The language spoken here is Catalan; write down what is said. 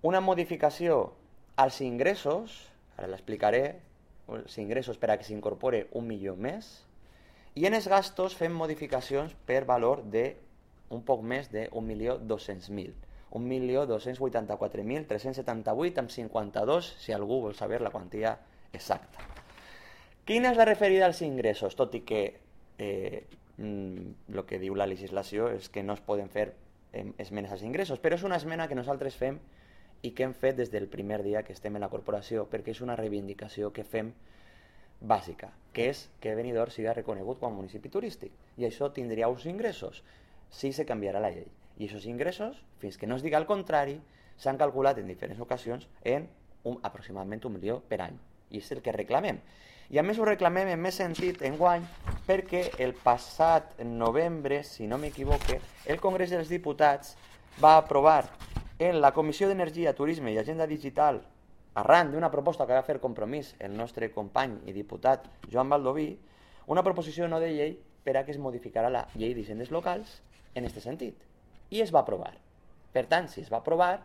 una modificació als ingressos, ara l'explicaré, els ingressos per a que s'incorpore 1 milió més, i en els gastos fem modificacions per valor de un poc més de 1.200.000. 1.284.378,52, si algú vol saber la quantia exacta. Quina és la referida als ingressos? Tot i que el que diu la legislació és que no es poden fer esmenes als ingressos, però és una esmena que nosaltres fem i que hem fet des del primer dia que estem en la corporació, perquè és una reivindicació que fem bàsica, que és que Benidorm sigui reconegut com a municipi turístic, i això tindria uns ingressos si se canviarà la llei. I aquests ingressos, fins que no es diga el contrari, s'han calculat en diferents ocasions en aproximadament 1 milió per any, i és el que reclamem. I a més ho reclamem en més sentit enguany perquè el passat novembre, si no m'equivoque, el Congrés dels Diputats va aprovar en la Comissió d'Energia, Turisme i Agenda Digital, arran d'una proposta que va fer Compromís el nostre company i diputat Joan Baldoví, una proposició no de llei per a que es modificara la llei d'hisendes locals en aquest sentit. I es va aprovar. Per tant, si es va aprovar,